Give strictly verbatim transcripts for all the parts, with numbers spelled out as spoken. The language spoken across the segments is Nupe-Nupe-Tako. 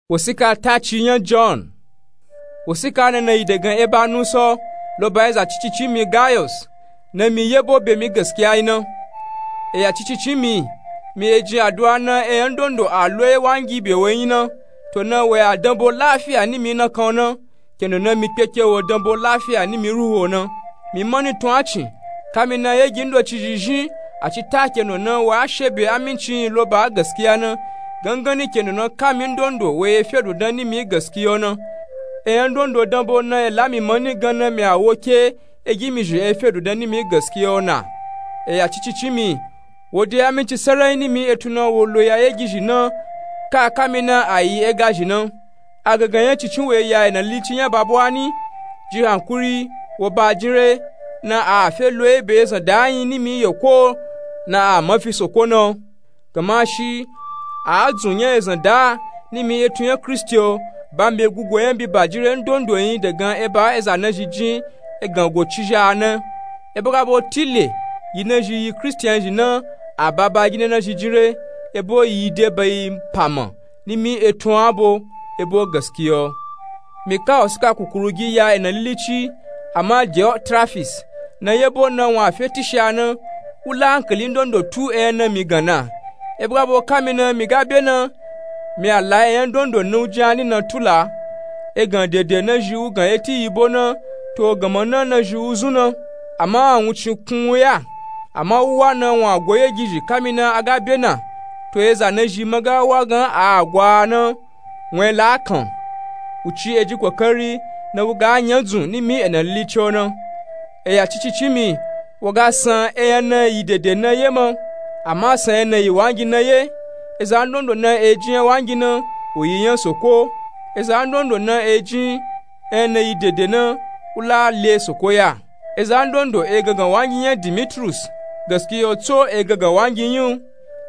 Wosika taci nya john. Wosika nana yi dagan eba nuso loba eza cicici mi gayos, na mi yebo be mi gaskiya yi na. Eya cicici mi, mi ejin aduwa na eyan dondo a loye wangi be woyi na, to na woya danbo lafiya ni mi na kan na, kendo na mi kpeke wo danbo lafiya ni mi ruho na. Mi mani tun acin, kami na yegi ndoci zhizhin, a ci ta kendo na wa shebe amincin loba gaskiya na, gangani kendo na kami ndondo woye fedu dan ni mi gaskiya na. Eyan dondo danbo na ela mi mani gan na mi a woke egi mi zhi e fedu dan ni mi gaskiya na. Eya cicici mi, wode aminci sarai ni mi etun na wo loya yegi zhi na, ka kami na a yi ega zhi na. Agagan nya cicin we ya ena lici nya babuwa ni, ji hankuri, wo ba jinre, na a fe lo ebe ezan da yin ni mi yeko, na a mafi soko na. Gama shi a dzun nya ezan da ni mi etun nya kristi o, ba mi be gugo nya bi ba jinre ndondo yin dagan eba eza na zhi jin egan go ci zha na. Ebo ga bo tile yi na zhi yi kristian zhi na, a ba ba gina na zhi jinre, ebo yi de ba yi pama ni mi etun abo, ebo gaskiya o. Mi ka wosika kukuru gi ya ena lilici, ama diotrafis, na yebo na wun a fe tishiya na, u la ankali ndondo tu eyan na mi gan na. Ebo ga bo kami na mi ga be na, mi a la eyan dondo na u jin ani na tula. Egan dede na zhi u gan eti yibo na, to gama na na zhi u zun na. Ama awuncin kun u ya, ama u wa na wun a go yegi zhi kami na a ga be na, to eza na zhi ma ga wa gan a gwa na, wun e la kan. U ci eji kokari na u ga nya dzun ni mi ena lilici o na. Eya cicici mi, wo ga san eyan na yi dede na ye ma, ama san eyan na yi wangi na ye. Eza ndondo na ejin nya wangi na, u yi nya soko. Eza ndondo na ejin eyan na yi dede na, u la le soko ya. Eza ndondo e gangan wangi nya dimitrus, gaskiya o tso e gangan wangi yin u.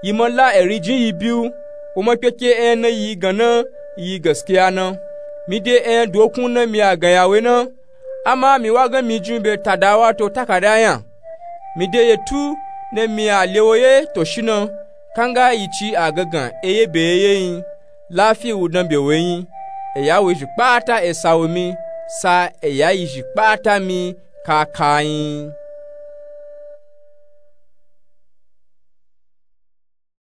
Yi ma la eri jin yi bi u, wo ma kpeke eyan na yi gan na, yi gaskiya na. Mi de eyan dokun na mi a gan ya we na, ama mi wa gan mi jin be tada wato takada nya. Mi de yetu na mi a le wo ye to shi na, kanga yi ci a gangan eye be ye ye yin. Lafi u dan be we yin. Eya we zhi kpata esa wo mi, sa eya yi zhi kpata mi kaka yin.